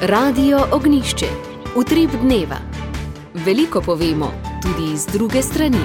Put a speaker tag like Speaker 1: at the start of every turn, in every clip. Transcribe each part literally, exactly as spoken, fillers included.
Speaker 1: Radio Ognjišče. Utrip dneva. Veliko povemo, tudi iz druge strani.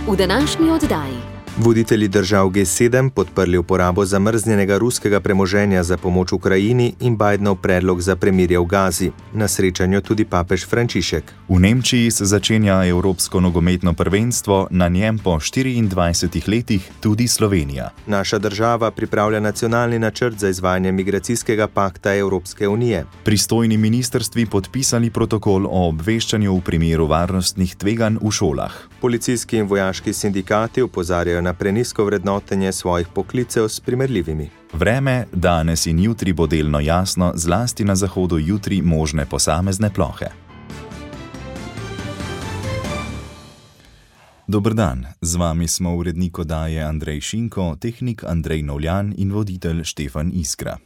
Speaker 1: V današnji oddaji.
Speaker 2: Voditelji držav G sedem podprli uporabo zamrznjenega ruskega premoženja za pomoč Ukrajini in Bidenov predlog za premirje v Gazi. Na srečanju tudi papež Frančišek.
Speaker 3: V Nemčiji se začenja Evropsko nogometno prvenstvo, na njem po štiriindvajsetih letih tudi Slovenija.
Speaker 2: Naša država pripravlja nacionalni načrt za izvajanje migracijskega pakta Evropske unije.
Speaker 3: Pristojni ministrstvi podpisali protokol o obveščanju v primeru varnostnih tveganj v šolah.
Speaker 2: Policijski in vojaški sindikati opozarjajo na prenizko vrednotenje svojih poklicev s primerljivimi.
Speaker 3: Vreme danes in jutri bo delno jasno, zlasti na zahodu jutri možne posamezne plohe. Dober dan, z vami smo urednik oddaje Andrej Šinko, tehnik Andrej Novljan in voditelj Štefan Iskra.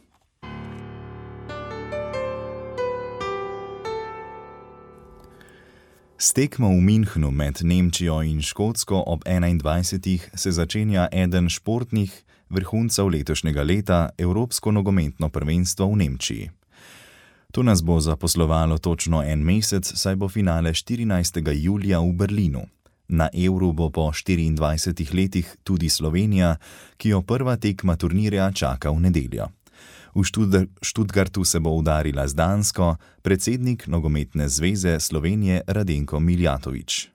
Speaker 3: S tekmo v Münchnu med Nemčijo in Škotsko ob enaindvajsetih se začenja eden športnih vrhuncev letošnjega leta, Evropsko nogometno prvenstvo v Nemčiji. To nas bo zaposlovalo točno en mesec, saj bo finale štirinajstega julija v Berlinu. Na Euru bo po štiriindvajsetih letih tudi Slovenija, ki jo prva tekma turnirja čaka v nedeljo. V Študgartu se bo udarila z Dansko predsednik Nogometne zveze Slovenije Radenko Miljatović.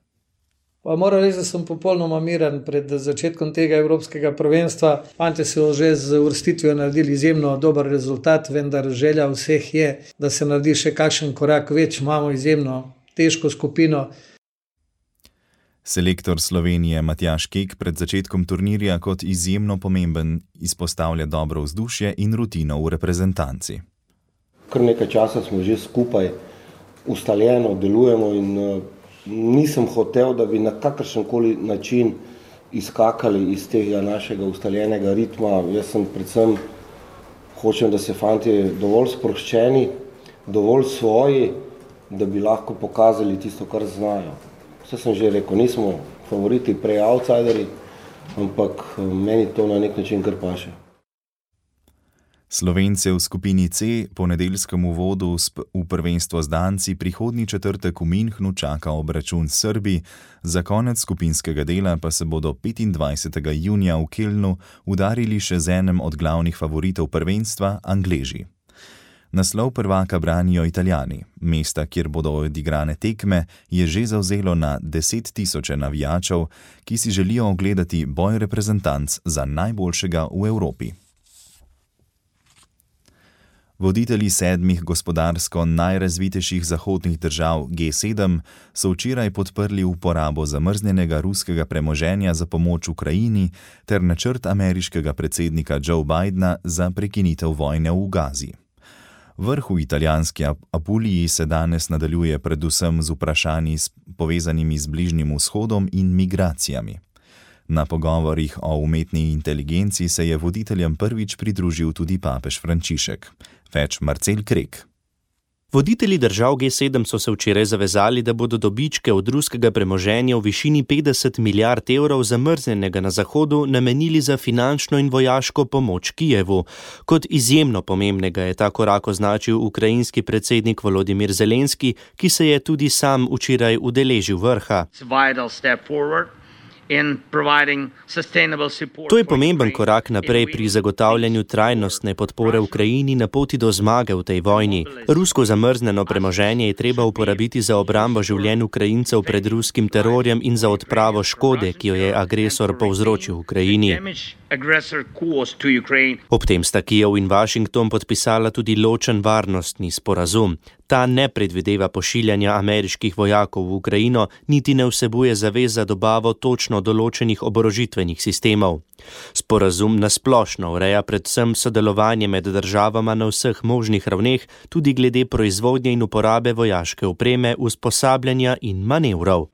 Speaker 4: Pa moram reči, da sem popolnoma miren pred začetkom tega evropskega prvenstva. Fantje so že z uvrstitvijo naredili izjemno dober rezultat, vendar želja vseh je, da se naredi še kakšen korak več. Imamo izjemno težko skupino.
Speaker 3: Selektor Slovenije Matjaž Kek pred začetkom turnirja kot izjemno pomemben izpostavlja dobro vzdušje in rutino v reprezentanci.
Speaker 5: Kar nekaj časa smo že skupaj ustaljeno delujemo in uh, nisem hotel, da bi na kakršenkoli način izkakali iz tega našega ustaljenega ritma. Jaz sem predvsem hočem, da se fantje dovolj sproščeni, dovolj svoji, da bi lahko pokazali tisto, kar znajo. Vse sem že rekel, nismo favoriti, prej outsideri, ampak meni to na nek način kar paše.
Speaker 3: Slovence v skupini C po nedeljskem uvodu v prvenstvo z Danci prihodnji četrtek v Münchnu čaka obračun s Srbi, za konec skupinskega dela pa se bodo petindvajsetega junija v Kölnu udarili še z enem od glavnih favoritov prvenstva, Angleži. Naslov prvaka branijo Italijani. Mesta, kjer bodo odigrane tekme, je že zavzelo na deset tisoče navijačev, ki si želijo ogledati boj reprezentanc za najboljšega v Evropi. Voditelji sedmih gospodarsko najrazvitejših zahodnih držav G sedem so včeraj podprli uporabo zamrznjenega ruskega premoženja za pomoč Ukrajini ter načrt ameriškega predsednika Joe Bidena za prekinitev vojne v Gazi. Vrh v italijanski Apuliji se danes nadaljuje predvsem z vprašanji povezanimi z Bližnjim vzhodom in migracijami. Na pogovorih o umetni inteligenci se je voditeljem prvič pridružil tudi papež Frančišek. Več Marcel Krek.
Speaker 6: Voditelji držav G sedem so se včeraj zavezali, da bodo dobičke od ruskega premoženja v višini petdeset milijard evrov zamrznjenega na Zahodu namenili za finančno in vojaško pomoč Kijevu. Kot izjemno pomembnega je ta korak označil ukrajinski predsednik Volodimir Zelenski, ki se je tudi sam včeraj udeležil vrha. To je pomemben korak naprej pri zagotavljanju trajnostne podpore Ukrajini na poti do zmage v tej vojni. Rusko zamrznjeno premoženje je treba uporabiti za obrambo življenj Ukrajincev pred ruskim terorjem in za odpravo škode, ki jo je agresor povzročil Ukrajini. Ob tem sta Kijev in Washington podpisala tudi ločen varnostni sporazum. Ta ne predvideva pošiljanja ameriških vojakov v Ukrajino, niti ne vsebuje zavez za dobavo točno določenih oborožitvenih sistemov. Sporazum nasplošno ureja predvsem sodelovanje med državama na vseh možnih ravneh, tudi glede proizvodnje in uporabe vojaške opreme, usposabljanja in manevrov.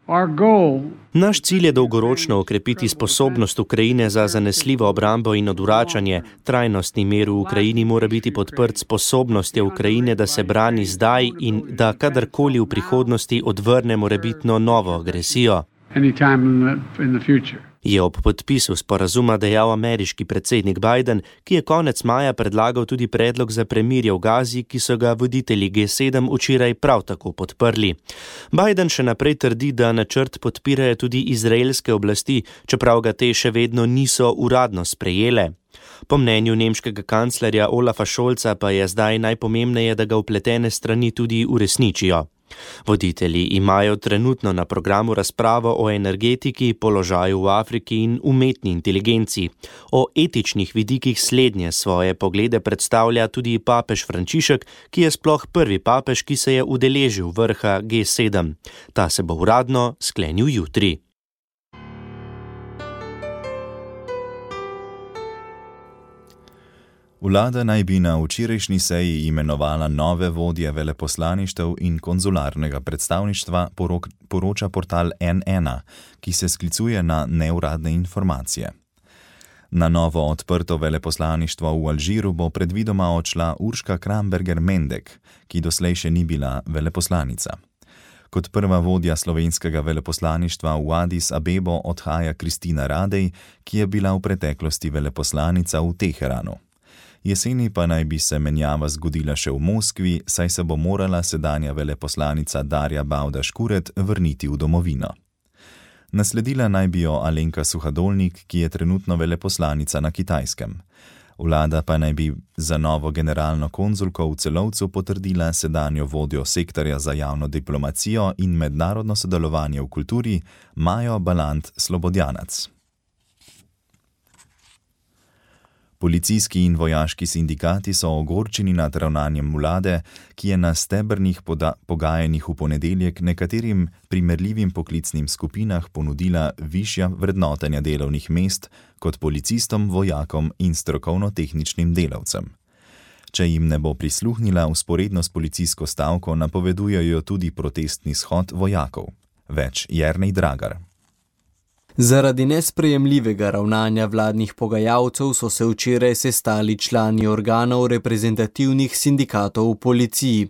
Speaker 6: Naš cilj je dolgoročno okrepiti sposobnost Ukrajine za zanesljivo obrambo in odvračanje. Trajnostni mir v Ukrajini mora biti podprt sposobnostjo Ukrajine, da se brani zdaj in da kadarkoli v prihodnosti odvrne morebitno novo agresijo.
Speaker 7: Anytime in the, in the future.
Speaker 6: Je ob podpisu sporazuma dejal ameriški predsednik Biden, ki je konec maja predlagal tudi predlog za premirje v Gazi, ki so ga voditelji G sedem včeraj prav tako podprli. Biden še naprej trdi, da načrt podpirajo tudi izraelske oblasti, čeprav ga te še vedno niso uradno sprejele. Po mnenju nemškega kanclerja Olafa Scholza pa je zdaj najpomembneje, da ga vpletene strani tudi uresničijo. Voditelji imajo trenutno na programu razpravo o energetiki, položaju v Afriki in umetni inteligenci. O etičnih vidikih slednje svoje poglede predstavlja tudi papež Frančišek, ki je sploh prvi papež, ki se je udeležil vrha G sedem. Ta se bo uradno sklenil jutri.
Speaker 3: Vlada naj bi na včerajšnji seji imenovala nove vodje veleposlaništev in konzularnega predstavništva, poroča portal N ena, ki se sklicuje na neuradne informacije. Na novo odprto veleposlaništvo v Alžiru bo predvidoma odšla Urška Kramberger-Mendek, ki doslej še ni bila veleposlanica. Kot prva vodja slovenskega veleposlaništva v Addis Abebo odhaja Kristina Radej, ki je bila v preteklosti veleposlanica v Teheranu. Jeseni pa naj bi se menjava zgodila še v Moskvi, saj se bo morala sedanja veleposlanica Darja Bavdaž-Kuret vrniti v domovino. Nasledila naj bi jo Alenka Suhadolnik, ki je trenutno veleposlanica na Kitajskem. Vlada pa naj bi za novo generalno konzulko v Celovcu potrdila sedanjo vodjo sektorja za javno diplomacijo in mednarodno sodelovanje v kulturi Majo Balant Slobodjanac. Policijski in vojaški sindikati so ogorčeni nad ravnanjem vlade, ki je na stebrnih pogajanjih v ponedeljek nekaterim primerljivim poklicnim skupinah ponudila višja vrednotenja delovnih mest kot policistom, vojakom in strokovno-tehničnim delavcem. Če jim ne bo prisluhnila, vzporedno s policijsko stavko napovedujejo tudi protestni shod vojakov. Več Jernej Dragar.
Speaker 7: Zaradi nesprejemljivega ravnanja vladnih pogajalcev so se včeraj sestali člani organov reprezentativnih sindikatov v policiji.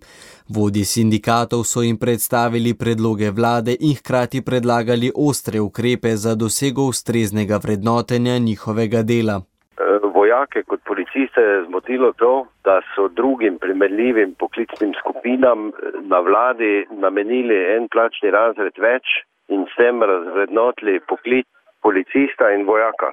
Speaker 7: Vodji sindikatov so jim predstavili predloge vlade in hkrati predlagali ostre ukrepe za dosego ustreznega vrednotenja njihovega dela.
Speaker 8: Vojake kot policiste je zmotilo to, da so drugim primerljivim poklicnim skupinam na vladi namenili en plačni razred več in s tem razvrednotili poklic policista in vojaka.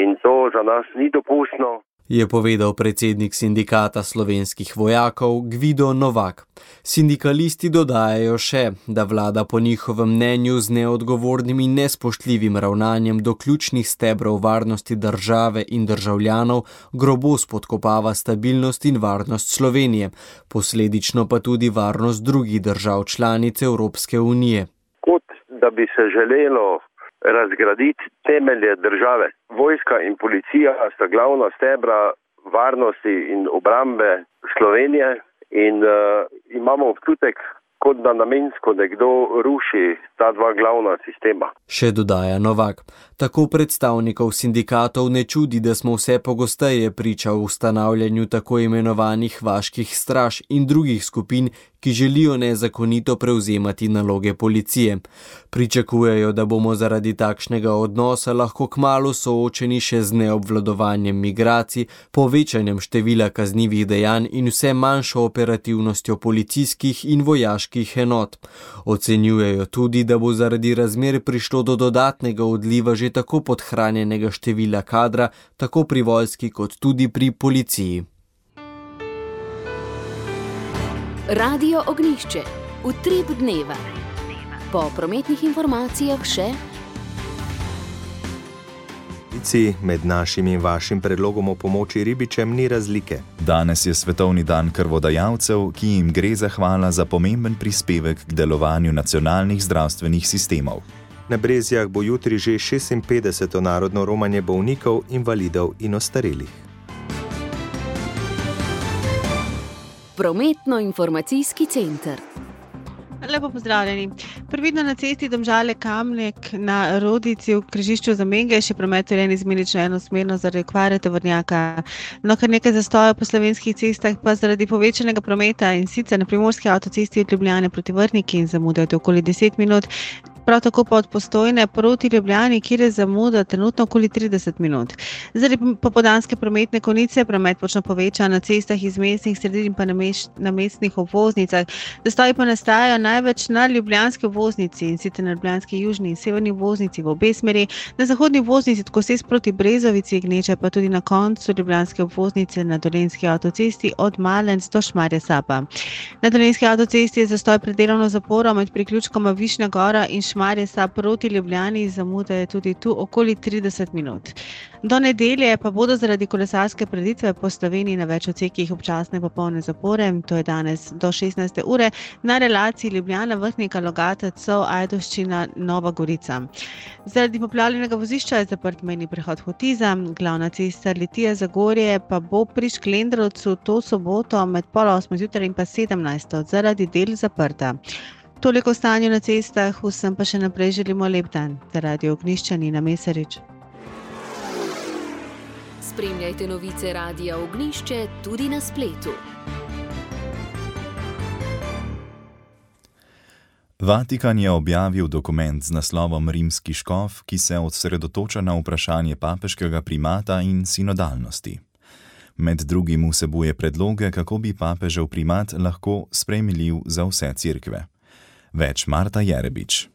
Speaker 8: In to za nas ni dopustno.
Speaker 7: Je povedal predsednik sindikata slovenskih vojakov Gvido Novak. Sindikalisti dodajajo še, da vlada po njihovem mnenju z neodgovornim in nespoštljivim ravnanjem do ključnih stebrov varnosti države in državljanov grobo spodkopava stabilnost in varnost Slovenije, posledično pa tudi varnost drugih držav članic Evropske unije.
Speaker 8: Kot da bi se želelo razgraditi temelje države. Vojska in policija sta glavna stebra varnosti in obrambe Slovenije in uh, imamo občutek, kot da namensko nekdo ruši ta dva glavna sistema.
Speaker 7: Še dodaja Novak. Tako predstavnikov sindikatov ne čudi, da smo vse pogosteje priča v ustanavljanju tako imenovanih vaških straž in drugih skupin, ki želijo nezakonito prevzemati naloge policije. Pričakujejo, da bomo zaradi takšnega odnosa lahko kmalu soočeni še z neobvladovanjem migracij, povečanjem števila kaznivih dejanj in vse manjšo operativnostjo policijskih in vojaških enot. Ocenjujejo tudi, da bo zaradi razmer prišlo do dodatnega odliva že tako podhranjenega števila kadra, tako pri vojski kot tudi pri policiji.
Speaker 1: Radio Ognjišče. Utrip dneva. Po prometnih informacijah še...
Speaker 2: Med našim in vašim predlogom o pomoči ribičem ni razlike.
Speaker 3: Danes je svetovni dan krvodajalcev, ki jim gre zahvala za pomemben prispevek k delovanju nacionalnih zdravstvenih sistemov.
Speaker 2: Na Brezjah bo jutri že šestinpetdeseto narodno romanje bolnikov, invalidov in ostarelih.
Speaker 1: Prometno-informacijski center.
Speaker 9: Lepo pozdravljeni. Previdno na cesti Domžale-Kamnik na Rodici v križišču Zamenge je še promet urejen izmenično enosmerno zaradi okvare tovornjaka. No, kar nekaj zastoja po slovenskih cestah pa zaradi povečanega prometa in sicer na primorski avtocesti od Ljubljane proti Vrniki in zamudate okoli deset minut. prav tako pa od Postojne proti Ljubljani, kjer je zamuda trenutno okoli trideset minut. Zaradi popoldanske prometne konice promet močno poveča na cestah iz mestnih sredin in pa na, meš, na mestnih obvoznicah. Zastoji pa nastajajo največ na ljubljanski obvoznici in sicer na ljubljanski južni in severni obvoznici v obe smeri, na zahodni obvoznici tako se proti Brezovici, Gneče pa tudi na koncu ljubljanske obvoznice na Dolenjski avtocesti od Malenc do Šmarja Sapa. Na Dolenjski avtocesti je zastoj pred delovno zaporo med priključkoma Višnja Gora in Šmarje Sap proti Ljubljani, zamuda je tudi tu okoli trideset minut. Do nedelje pa bodo zaradi kolesarske preditve po Sloveniji na več odsekih občasne popolne zapore, to je danes do šestnajste ure, na relaciji Ljubljana, Vrhnika, Logata, Cov, Ajdovščina, Nova Gorica. Zaradi poplavljenega vozišča je zaprt mejni prehod Hotiza, glavna cesta Litija-Zagorje pa bo pri Šklendrovcu to soboto med pol osmo zjutraj in pa sedemnajsto zaradi del zaprta. Toliko o stanju na cestah, vsem pa še naprej želimo lep dan. Za Radio Ognjišče Nina Mesarič.
Speaker 1: Spremljajte novice Radia Ognjišče tudi na spletu.
Speaker 3: Vatikan je objavil dokument z naslovom Rimski škof, ki se osredotoča na vprašanje papeškega primata in sinodalnosti. Med drugim vsebuje predloge, kako bi papežev primat lahko sprejemljiv za vse cerkve. Več Marta Jerebič.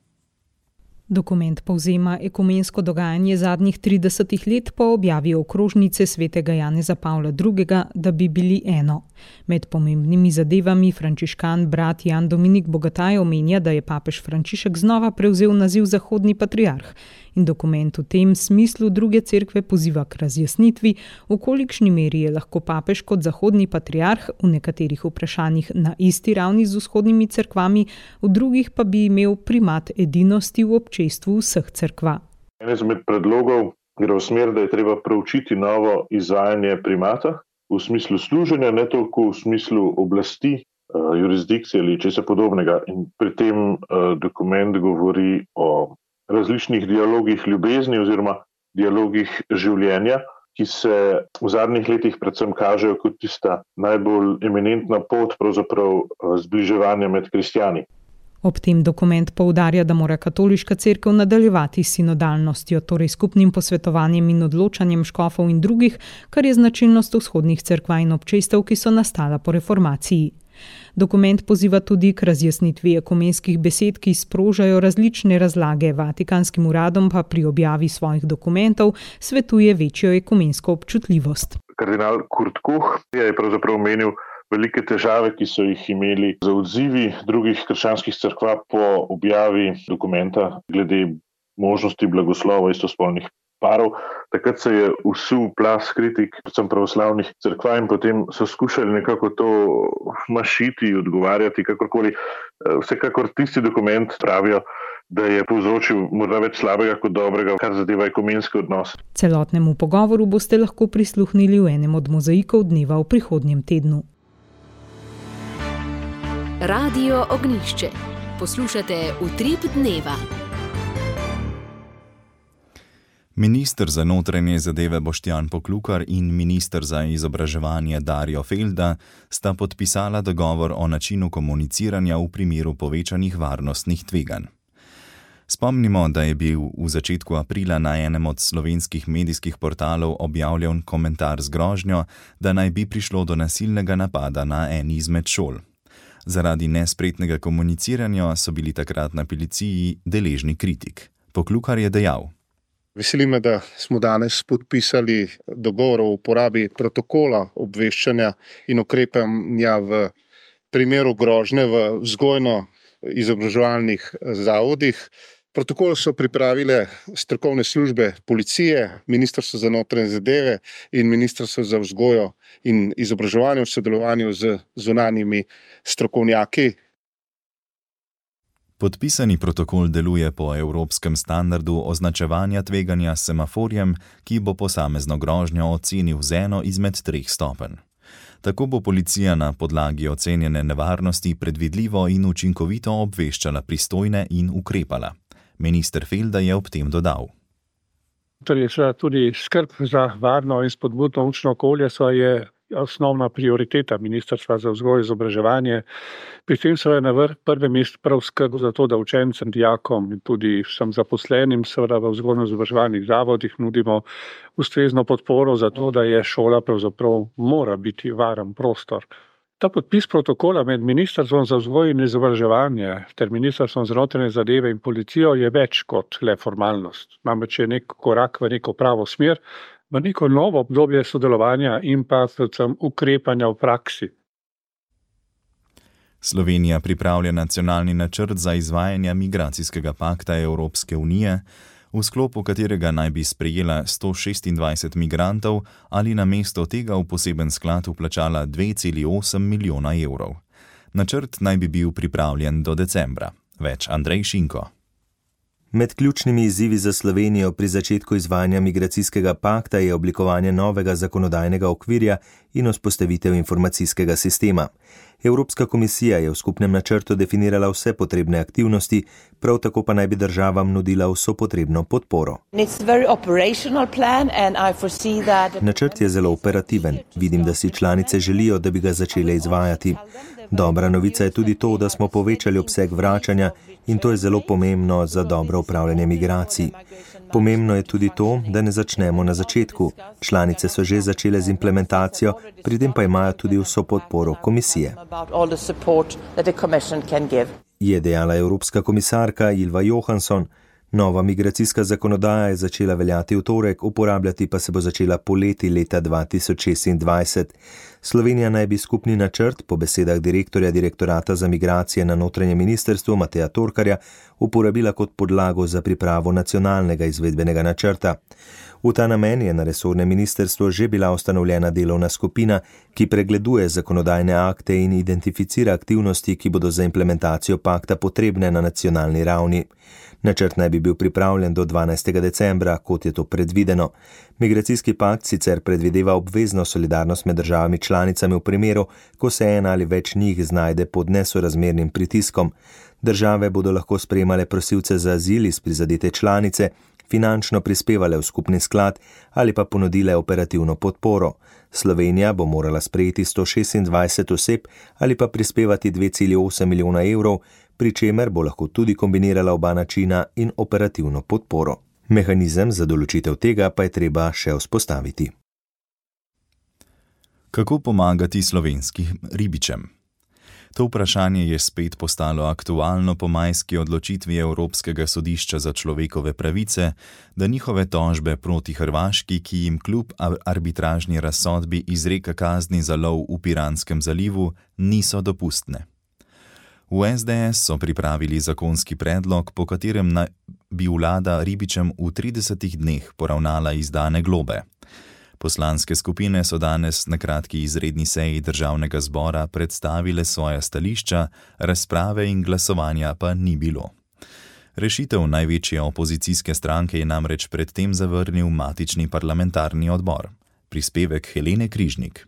Speaker 10: Dokument povzema ekumensko dogajanje zadnjih tridesetih let po objavi okrožnice svetega Janeza Pavla drugega, da bi bili eno. Med pomembnimi zadevami frančiškan brat Jan Dominik Bogataj omenja, da je papež Frančišek znova prevzel naziv zahodni patriarh in dokument v tem smislu druge cerkve poziva k razjasnitvi, v kolikšni meri je lahko papež kot zahodni patriarh v nekaterih vprašanjih na isti ravni z vzhodnimi cerkvami, v drugih pa bi imel primat edinosti v občestvu vseh cerkva.
Speaker 11: En izmed predlogov gre v smer, da je treba preučiti novo izvajanje primata v smislu služenja, ne toliko v smislu oblasti, jurisdikcije ali česa podobnega. In pri tem dokument govori o različnih dialogih ljubezni oziroma dialogih življenja, ki se v zadnjih letih predvsem kažejo kot tista najbolj eminentna pot pravzaprav zbliževanja med kristjani.
Speaker 10: Ob tem dokument poudarja, da mora katoliška cerkev nadaljevati s sinodalnostjo, torej skupnim posvetovanjem in odločanjem škofov in drugih, kar je značilnost vzhodnih cerkva in občestev, ki so nastala po reformaciji. Dokument poziva tudi k razjasnitvi ekumenskih besed, ki sprožajo različne razlage, vatikanskim uradom pa pri objavi svojih dokumentov svetuje večjo ekumensko občutljivost.
Speaker 11: Kardinal Kurt Koch je pravzaprav omenil velike težave, ki so jih imeli za odzivi drugih krščanskih cerkva po objavi dokumenta glede možnosti blagoslova istospolnih parov. Takrat se je vsul plaz kritik, predvsem pravoslavnih cerkva, in potem so skušali nekako to mašiti, odgovarjati, kakorkoli. Vsekakor tisti dokument pravijo, da je povzročil morda več slabega kot dobrega, kar zadeva ekumenski odnos.
Speaker 10: Celotnemu pogovoru boste lahko prisluhnili v enem od mozaikov dneva v prihodnjem tednu.
Speaker 1: Radio Ognjišče. Poslušate Utrip dneva.
Speaker 3: Minister za notranje zadeve Boštjan Poklukar in minister za izobraževanje Darjo Felda sta podpisala dogovor o načinu komuniciranja v primeru povečanih varnostnih tveganj. Spomnimo, da je bil v začetku aprila na enem od slovenskih medijskih portalov objavljen komentar z grožnjo, da naj bi prišlo do nasilnega napada na eni izmed šol. Zaradi nespretnega komuniciranja so bili takrat na policiji deležni kritik. Poklukar je dejal:
Speaker 12: Veseli me, da smo danes podpisali dogovor o uporabi protokola obveščanja in ukrepanja v primeru grožnje v vzgojno-izobraževalnih zavodih. Protokol so pripravile strokovne službe policije, Ministrstvo za notranje zadeve in Ministrstvo za vzgojo in izobraževanje v sodelovanju z zunanjimi strokovnjaki.
Speaker 3: Podpisani protokol deluje po evropskem standardu označevanja tveganja s semaforjem, ki bo posamezno grožnjo ocenil z eno izmed treh stopenj. Tako bo policija na podlagi ocenjene nevarnosti predvidljivo in učinkovito obveščala pristojne in ukrepala. Minister Felda je ob tem dodal:
Speaker 13: Torej, tudi skrb za varno in spodbudno učno okolje so je osnovna prioriteta Ministrstva za vzgojo in izobraževanje. Pri tem seveda na prvem mestu prav skrb za to, da učencem, dijakom in tudi vsem zaposlenim seveda v vzgojno-izobraževalnih zavodih nudimo ustrezno podporo za to, da je šola pravzaprav mora biti varen prostor. Ta podpis protokola med Ministrstvom za vzgojo in izobraževanje ter Ministrstvom za notranje zadeve in policijo je več kot le formalnost. Namreč je nek korak v neko pravo smer, v neko novo obdobje sodelovanja in pa predvsem ukrepanja v praksi.
Speaker 3: Slovenija pripravlja nacionalni načrt za izvajanje migracijskega pakta Evropske unije, v sklopu katerega naj bi sprejela sto šestindvajset migrantov ali namesto tega v poseben sklad vplačala dve celi osem milijona evrov. Načrt naj bi bil pripravljen do decembra. Več Andrej Šinko.
Speaker 2: Med ključnimi izzivi za Slovenijo pri začetku izvajanja migracijskega pakta je oblikovanje novega zakonodajnega okvirja in vzpostavitev informacijskega sistema. Evropska komisija je v skupnem načrtu definirala vse potrebne aktivnosti, prav tako pa naj bi državam nudila vso potrebno podporo. Načrt je zelo operativen. Vidim, da si članice želijo, da bi ga začele izvajati. Dobra novica je tudi to, da smo povečali obseg vračanja in to je zelo pomembno za dobro upravljanje migracij. Pomembno je tudi to, da ne začnemo na začetku. Članice so že začele z implementacijo, pri tem pa imajo tudi vso podporo komisije. Je dejala evropska komisarka Ylva Johansson. Nova migracijska zakonodaja je začela veljati v torek, uporabljati pa se bo začela poleti leta dva tisoč šestindvajset. Slovenija naj bi skupni načrt, po besedah direktorja direktorata za migracije na notranjem ministrstvu Mateja Torkarja, uporabila kot podlago za pripravo nacionalnega izvedbenega načrta. V ta namen je na resornem ministrstvu že bila ustanovljena delovna skupina, ki pregleduje zakonodajne akte in identificira aktivnosti, ki bodo za implementacijo pakta potrebne na nacionalni ravni. Načrt naj bi bil pripravljen do dvanajstega decembra, kot je to predvideno. Migracijski pakt sicer predvideva obvezno solidarnost med državami članicami v primeru, ko se ena ali več njih znajde pod nesorazmernim pritiskom. Države bodo lahko sprejemale prosilce za azil iz prizadete članice, finančno prispevale v skupni sklad ali pa ponudile operativno podporo. Slovenija bo morala sprejeti sto šestindvajset oseb ali pa prispevati dve celi osem milijona evrov, pri čemer bo lahko tudi kombinirala oba načina in operativno podporo. Mehanizem za določitev tega pa je treba še vzpostaviti.
Speaker 3: Kako pomagati slovenskim ribičem? To vprašanje je spet postalo aktualno po majski odločitvi Evropskega sodišča za človekove pravice, da njihove tožbe proti Hrvaški, ki jim kljub arbitražni razsodbi izreka kazni za lov v Piranskem zalivu, niso dopustne. V es de es so pripravili zakonski predlog, po katerem bi vlada ribičem v tridesetih dneh poravnala izdane globe. Poslanske skupine so danes na kratki izredni seji državnega zbora predstavile svoja stališča, razprave in glasovanja pa ni bilo. Rešitev največje opozicijske stranke je namreč predtem zavrnil matični parlamentarni odbor. Prispevek Helene Križnik.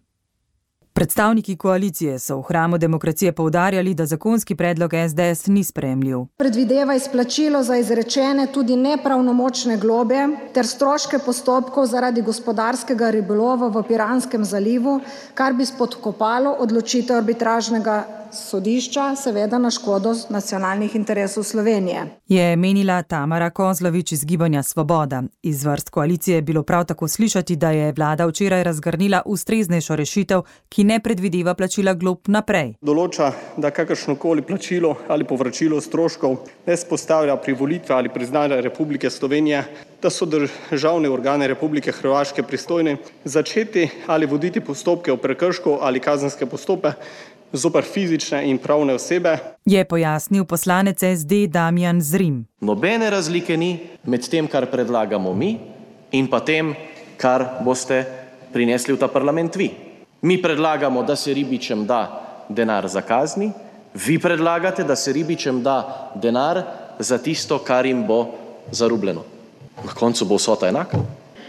Speaker 14: Predstavniki koalicije so v hramu demokracije poudarjali, da zakonski predlog es de es ni sprejemljiv.
Speaker 15: Predvideva izplačilo za izrečene tudi nepravnomočne globe ter stroške postopkov zaradi gospodarskega ribolova v Piranskem zalivu, kar bi spodkopalo odločitev arbitražnega sodišča, seveda na škodo nacionalnih interesov Slovenije.
Speaker 14: Je menila Tamara Kozlovič iz Gibanja Svoboda. Iz vrst koalicije je bilo prav tako slišati, da je vlada včeraj razgrnila ustreznejšo rešitev, ki ne predvideva plačila glob naprej.
Speaker 16: Določa, da kakršnokoli plačilo ali povračilo stroškov ne vzpostavlja privolitve ali priznanja Republike Slovenije, da so državne organe Republike Hrvaške pristojne začeti ali voditi postopke o prekršku ali kazenske postopke zoper fizične in pravne osebe,
Speaker 14: je pojasnil poslanec es de Damjan Zrim.
Speaker 17: Nobene razlike ni med tem, kar predlagamo mi, in pa tem, kar boste prinesli v ta parlament vi. Mi predlagamo, da se ribičem da denar za kazni, vi predlagate, da se ribičem da denar za tisto, kar jim bo zarubljeno. Na koncu bo vsota enaka.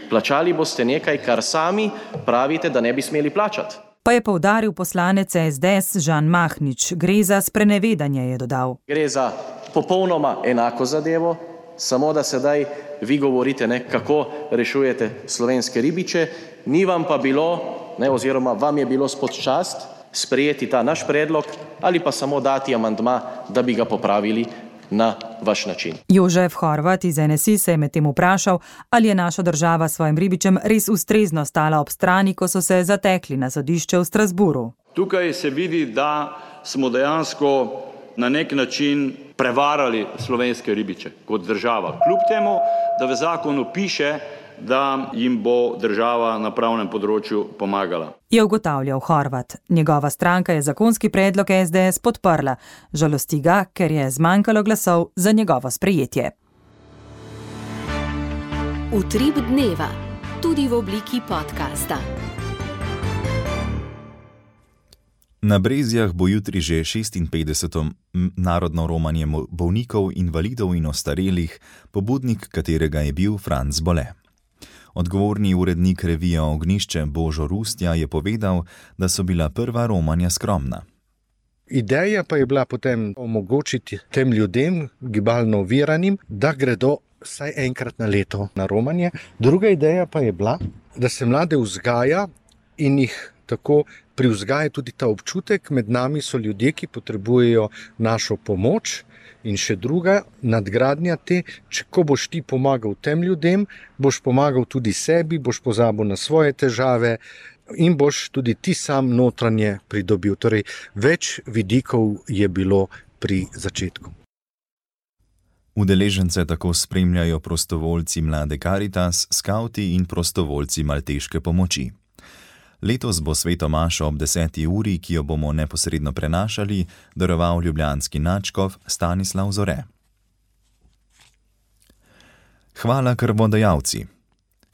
Speaker 17: Plačali boste nekaj, kar sami pravite, da ne bi smeli plačati.
Speaker 14: Pa je poudaril poslanec es de es Žan Mahnič. Gre za sprenevedanje, je dodal.
Speaker 17: Gre za popolnoma enako zadevo, samo da sedaj vi govorite, ne, kako rešujete slovenske ribiče, ni vam pa bilo ne, oziroma vam je bilo spod čast sprejeti ta naš predlog ali pa samo dati amandma, da bi ga popravili na vaš način.
Speaker 14: Jožef Horvat iz N S I se je medtem vprašal, ali je naša država svojim ribičem res ustrezno stala ob strani, ko so se zatekli na sodišče v Strasburu.
Speaker 18: Tukaj se vidi, da smo dejansko na nek način prevarali slovenske ribiče kot država. Kljub temu, da v zakonu piše, da jim bo država na pravnem področju pomagala.
Speaker 14: Je ugotavljal Horvat. Njegova stranka je zakonski predlog S D S podprla. Žalosti ga, ker je zmanjkalo glasov za njegovo sprejetje.
Speaker 1: Utrip dneva, tudi v obliki podcasta.
Speaker 3: Na Brezjah bo jutri že šestinpetdeseto narodno romanje bolnikov, invalidov in ostarelih, pobudnik katerega je bil Franc Bole. Odgovorni urednik revije Ognjišče Božo Rustja je povedal, da so bila prva romanja skromna.
Speaker 19: Ideja pa je bila potem omogočiti tem ljudem, gibalno oviranim, da gredo vsaj enkrat na leto na romanje. Druga ideja pa je bila, da se mlade vzgaja in jih tako privzgaja tudi ta občutek, med nami so ljudje, ki potrebujejo našo pomoč. In še druga nadgradnja te, če ko boš ti pomagal tem ljudem, boš pomagal tudi sebi, boš pozabil na svoje težave in boš tudi ti sam notranje pridobil. Torej, več vidikov je bilo pri začetku.
Speaker 3: Udeležence tako spremljajo prostovoljci Mlade Karitas, skavti in prostovoljci Malteške pomoči. Letos bo sveto mašo ob deseti uri, ki jo bomo neposredno prenašali, daroval ljubljanski nadškof Stanislav Zore. Hvala krvodajalci.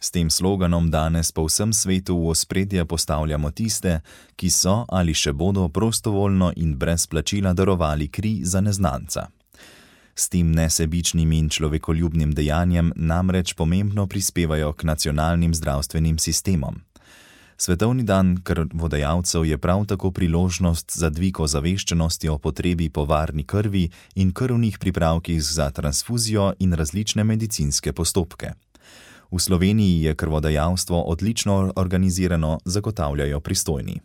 Speaker 3: S tem sloganom danes po vsem svetu v ospredje postavljamo tiste, ki so ali še bodo prostovoljno in brez plačila darovali kri za neznanca. S tem nesebičnim in človekoljubnim dejanjem namreč pomembno prispevajo k nacionalnim zdravstvenim sistemom. Svetovni dan krvodajalcev je prav tako priložnost za dvig ozaveščenosti o potrebi po varni krvi in krvnih pripravkih za transfuzijo in različne medicinske postopke. V Sloveniji je krvodajalstvo odlično organizirano, zagotavljajo pristojni.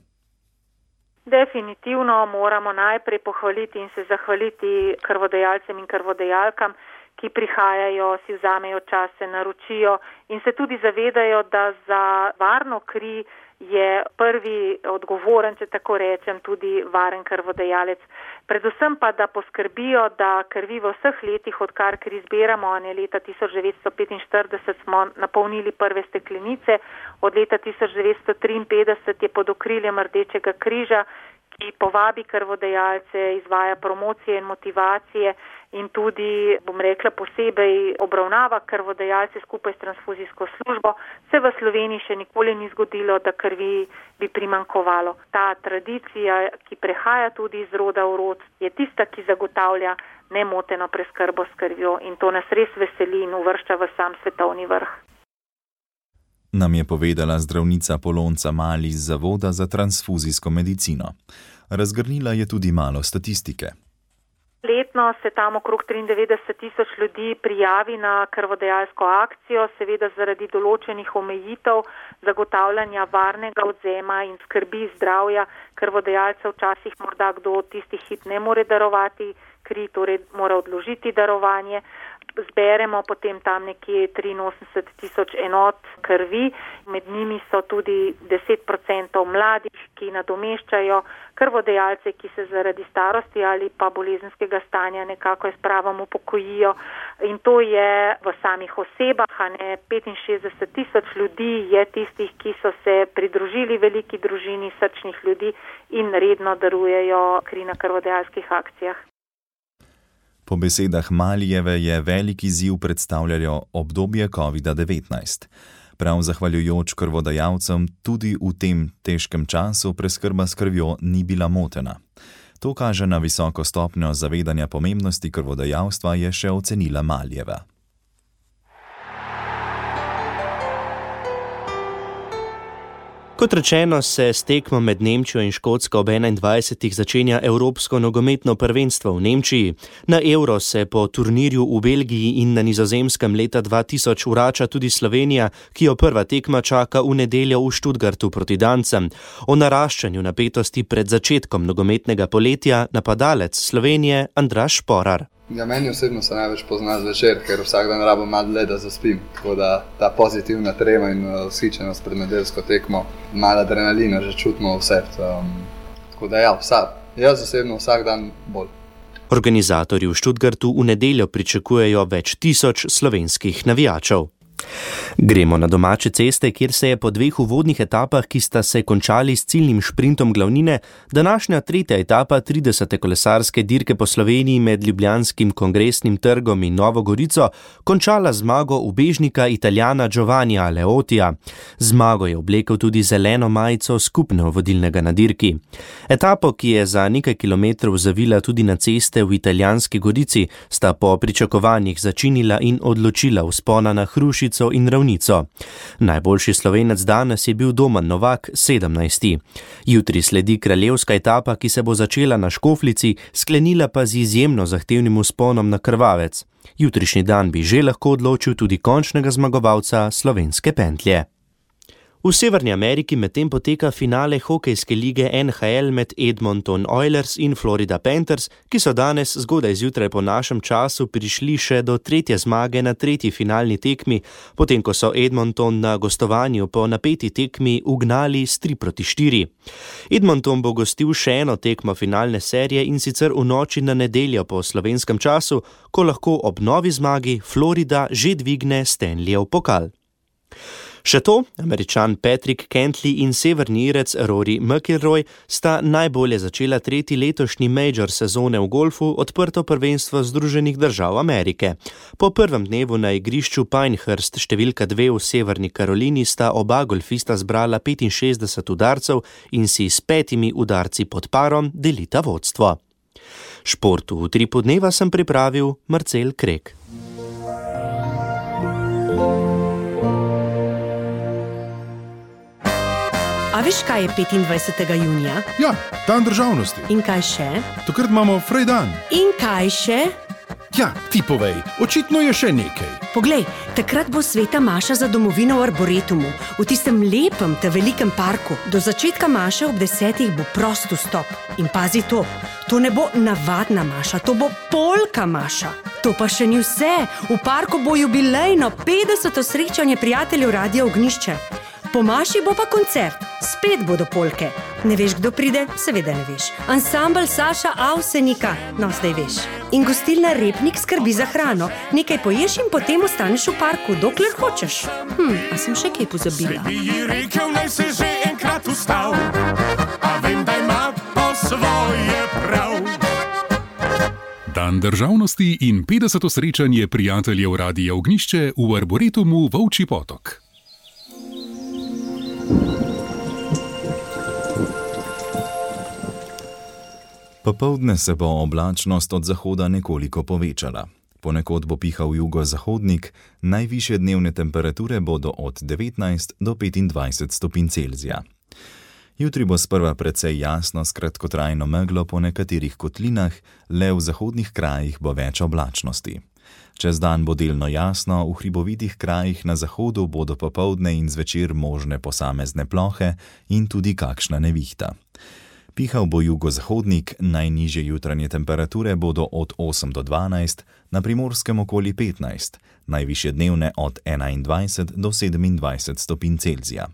Speaker 20: Definitivno moramo najprej pohvaliti in se zahvaliti krvodajalcem in krvodajalkam, ki prihajajo, si vzamejo čas, se naročijo in se tudi zavedajo, da za varno kri je prvi odgovoren, če tako rečem, tudi varen krvodajalec. Predvsem pa, da poskrbijo, da krvi v vseh letih, odkar kri zbiramo, ne leta tisoč devetsto petinštirideset smo napolnili prve steklenice, od leta tisoč devetsto triinpetdeset je pod okriljem Rdečega križa, ki povabi krvodajalce, izvaja promocije in motivacije in tudi, bom rekla, posebej obravnava krvodajalce skupaj s transfuzijsko službo, se v Sloveniji še nikoli ni zgodilo, da krvi bi primanjkovalo. Ta tradicija, ki prehaja tudi iz roda v rod, je tista, ki zagotavlja nemoteno preskrbo s krvjo in to nas res veseli in uvršča v sam svetovni vrh.
Speaker 3: Nam je povedala zdravnica Polonca Mali iz Zavoda za transfuzijsko medicino. Razgrnila je tudi malo statistike.
Speaker 20: Letno se tam okrog triindevetdeset tisoč ljudi prijavi na krvodajalsko akcijo, seveda zaradi določenih omejitev zagotavljanja varnega odzema in skrbi zdravja krvodajalcev. Včasih morda kdo tisti hip ne more darovati kri, torej mora odložiti darovanje. Zberemo potem tam nekje triinosemdeset tisoč enot krvi, med njimi so tudi deset procentov mladih, ki nadomeščajo krvodajalce, ki se zaradi starosti ali pa bolezenskega stanja nekako s pravom upokojijo. In to je v samih osebah, a ne petinšestdeset tisoč ljudi je tistih, ki so se pridružili veliki družini srčnih ljudi in redno darujejo kri na krvodajalskih akcijah.
Speaker 3: Po besedah Malijeve je velik izziv predstavljalo obdobje kovida devetnajst. Prav zahvaljujoč krvodajalcem tudi v tem težkem času preskrba s krvjo ni bila motena. To kaže na visoko stopnjo zavedanja pomembnosti krvodajalstva, je še ocenila Malijeva.
Speaker 6: Ko Kot rečeno, se s tekmo med Nemčijo in Škotsko ob enaindvajsetih začenja Evropsko nogometno prvenstvo v Nemčiji. Na Euro se po turnirju v Belgiji in na Nizozemskem leta dva tisoč vrača tudi Slovenija, ki jo prva tekma čaka v nedeljo v Stuttgartu proti Dancem. O naraščanju napetosti pred začetkom nogometnega poletja napadalec Slovenije Andraž Šporar.
Speaker 21: Ja, meni osebno se največ pozna zvečer, ker vsak dan rabim malo dlje, da zaspim. Tako da ta pozitivna trema in vzhičenost pred nedeljsko tekmo, malo adrenalina že čutimo vse. Um, tako da ja, vsak, jaz osebno vsak dan bolj.
Speaker 6: Organizatorji v Stuttgartu v nedeljo pričakujejo več tisoč slovenskih navijačev. Gremo na domače ceste, kjer se je po dveh uvodnih etapah, ki sta se končali s ciljnim šprintom glavnine, današnja tretja etapa tridesete kolesarske dirke po Sloveniji med Ljubljanskim kongresnim trgom in Novo Gorico končala zmago ubežnika Italijana Giovannija Leotija. Zmago je oblekel tudi zeleno majico skupno vodilnega na dirki. Etapo, ki je za nekaj kilometrov zavila tudi na ceste v Italijanski Gorici, sta po pričakovanjih začinila in odločila vzpona na Hrušico in Ravnico. Najboljši Slovenec danes je bil Domen Novak, sedemnajsti. Jutri sledi kraljevska etapa, ki se bo začela na Škofljici, sklenila pa z izjemno zahtevnim vzponom na Krvavec. Jutrišnji dan bi že lahko odločil tudi končnega zmagovalca slovenske pentlje. V Severni Ameriki medtem poteka finale hokejske lige N H L med Edmonton Oilers in Florida Panthers, ki so danes zgodaj zjutraj po našem času prišli še do tretje zmage na tretji finalni tekmi, potem ko so Edmonton na gostovanju po napeti tekmi ugnali s tri proti štiri. Edmonton bo gostil še eno tekmo finalne serije in sicer v noči na nedeljo po slovenskem času, ko lahko ob novi zmagi Florida že dvigne Stanleyjev pokal. Še to, Američan Patrick Cantley in severni Irec Rory McIlroy sta najbolje začela tretji letošnji major sezone v golfu, odprto prvenstvo Združenih držav Amerike. Po prvem dnevu na igrišču Pinehurst številka dve v Severni Karolini sta oba golfista zbrala petinšestdeset udarcev in si s petimi udarci pod parom delita vodstvo. Športu v Utripu dneva sem pripravil Marcel Krek.
Speaker 22: A veš, kaj je petindvajsetega junija?
Speaker 23: Ja, dan državnosti.
Speaker 22: In kaj še?
Speaker 23: Takrat imamo frej dan.
Speaker 22: In kaj še?
Speaker 23: Ja, ti povej, očitno je še nekaj.
Speaker 22: Poglej, takrat bo sveta maša za domovino v Arboretumu, v tistem lepem te velikem parku. Do začetka maše ob desetih bo prost vstop. In pazi to, to ne bo navadna maša, to bo polka maša. To pa še ni vse, v parku bo jubilejno petdeseto srečanje prijateljev Radia Ognjišče. Po maši bo pa koncert, spet bodo polke. Ne veš, kdo pride? Seveda ne veš. Ansambel Saša Avsenika, no zdaj veš. In gostilna Repnik skrbi za hrano. Nekaj poješ in potem ostaneš v parku, dokler hočeš. Hm, a sem še kaj pozabila?
Speaker 24: Bi ji rekel, naj se že enkrat ustal, a vem, da ima po svoje prav.
Speaker 23: Dan državnosti in petdeseto srečanje prijateljev Radia Ognjišče v Arboretumu Volčji Potok.
Speaker 3: Popoldne se bo oblačnost od zahoda nekoliko povečala. Ponekod bo pihal jugozahodnik, najvišje dnevne temperature bodo od devetnajst do petindvajset stopinj Celzija. Jutri bo sprva precej jasno s kratkotrajno meglo po nekaterih kotlinah, le v zahodnih krajih bo več oblačnosti. Čez dan bo delno jasno, v hribovitih krajih na zahodu bodo popoldne in zvečer možne posamezne plohe in tudi kakšna nevihta. Pihal bo jugozahodnik, najnižje jutranje temperature bodo od osem do dvanajst, na Primorskem okoli petnajst, najvišje dnevne od enaindvajset do sedemindvajset stopinj Celzija.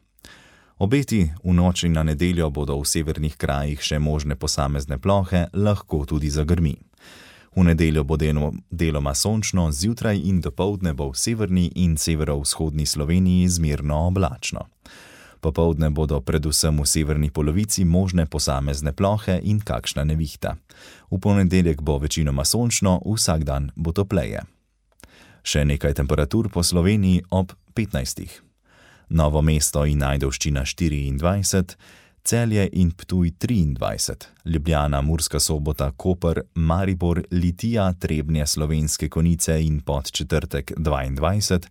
Speaker 3: Obeti v noči na nedeljo bodo v severnih krajih še možne posamezne plohe, lahko tudi zagrmi. V nedeljo bo delo, deloma sončno, zjutraj in dopoldne bo v severni in severovzhodni Sloveniji zmerno oblačno. Popoldne bodo predvsem v severni polovici možne posamezne plohe in kakšna nevihta. V ponedeljek bo večinoma sončno, vsak dan bo topleje. Še nekaj temperatur po Sloveniji ob petnajstih. Novo mesto in Ajdovščina štiriindvajset, Celje in Ptuj triindvajset, Ljubljana, Murska Sobota, Koper, Maribor, Litija, Trebnje, Slovenske Konjice in Podčetrtek dvaindvajset,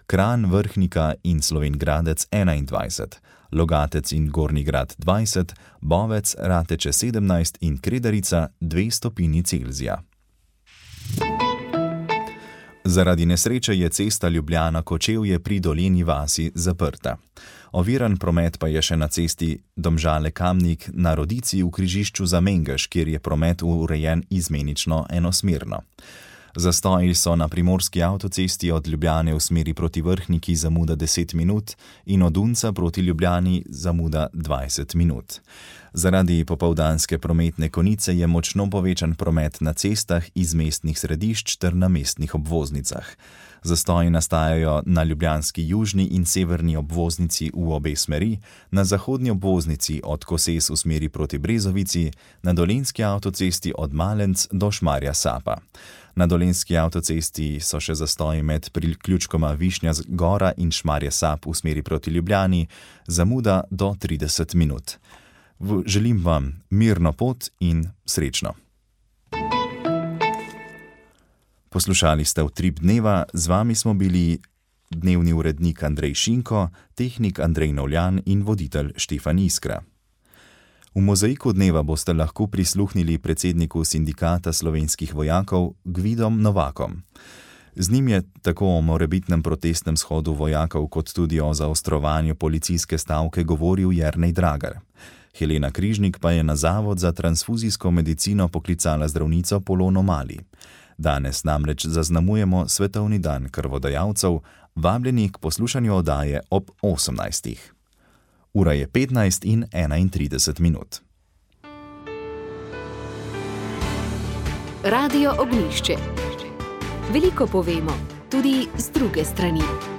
Speaker 3: Kranj, Vrhnika in Slovenj Gradec enaindvajset, Logatec in Gornji Grad dvajset, Bovec, Rateče sedemnajst in Kredarica dve stopinji Celzija. Zaradi nesreče je cesta Ljubljana-Kočevje pri Dolenji vasi zaprta. Oviran promet pa je še na cesti Domžale-Kamnik na Rodici v križišču za Mengeš, kjer je promet urejen izmenično enosmerno. Zastoji so na primorski avtocesti od Ljubljane v smeri proti Vrhniki zamuda deset minut in od Unca proti Ljubljani zamuda dvajset minut. Zaradi popoldanske prometne konice je močno povečan promet na cestah iz mestnih središč ter na mestnih obvoznicah. Zastoji nastajajo na ljubljanski južni in severni obvoznici v obe smeri, na zahodni obvoznici od Koses v smeri proti Brezovici, na dolenjski avtocesti od Malenc do Šmarja Sapa. Na dolenjski avtocesti so še zastoji med priključkoma Višnja Gora in Šmarje Sap v smeri proti Ljubljani, zamuda do trideset minut. Želim vam mirno pot in srečno. Poslušali ste Utrip dneva, z vami smo bili dnevni urednik Andrej Šinko, tehnik Andrej Novljan in voditelj Štefan Iskra. V mozaiku dneva boste lahko prisluhnili predsedniku sindikata slovenskih vojakov Gvidom Novakom. Z njim je tako o morebitnem protestnem shodu vojakov kot tudi o zaostrovanju policijske stavke govoril Jernej Dragar. Helena Križnik pa je na Zavod za transfuzijsko medicino poklicala zdravnico Polono Mali. Danes namreč zaznamujemo Svetovni dan krvodajalcev, vabljeni k poslušanju oddaje ob osemnajstih. Ura je petnajst in enaintrideset minut.
Speaker 1: Radio Ognjišče. Veliko povemo, tudi z druge strani.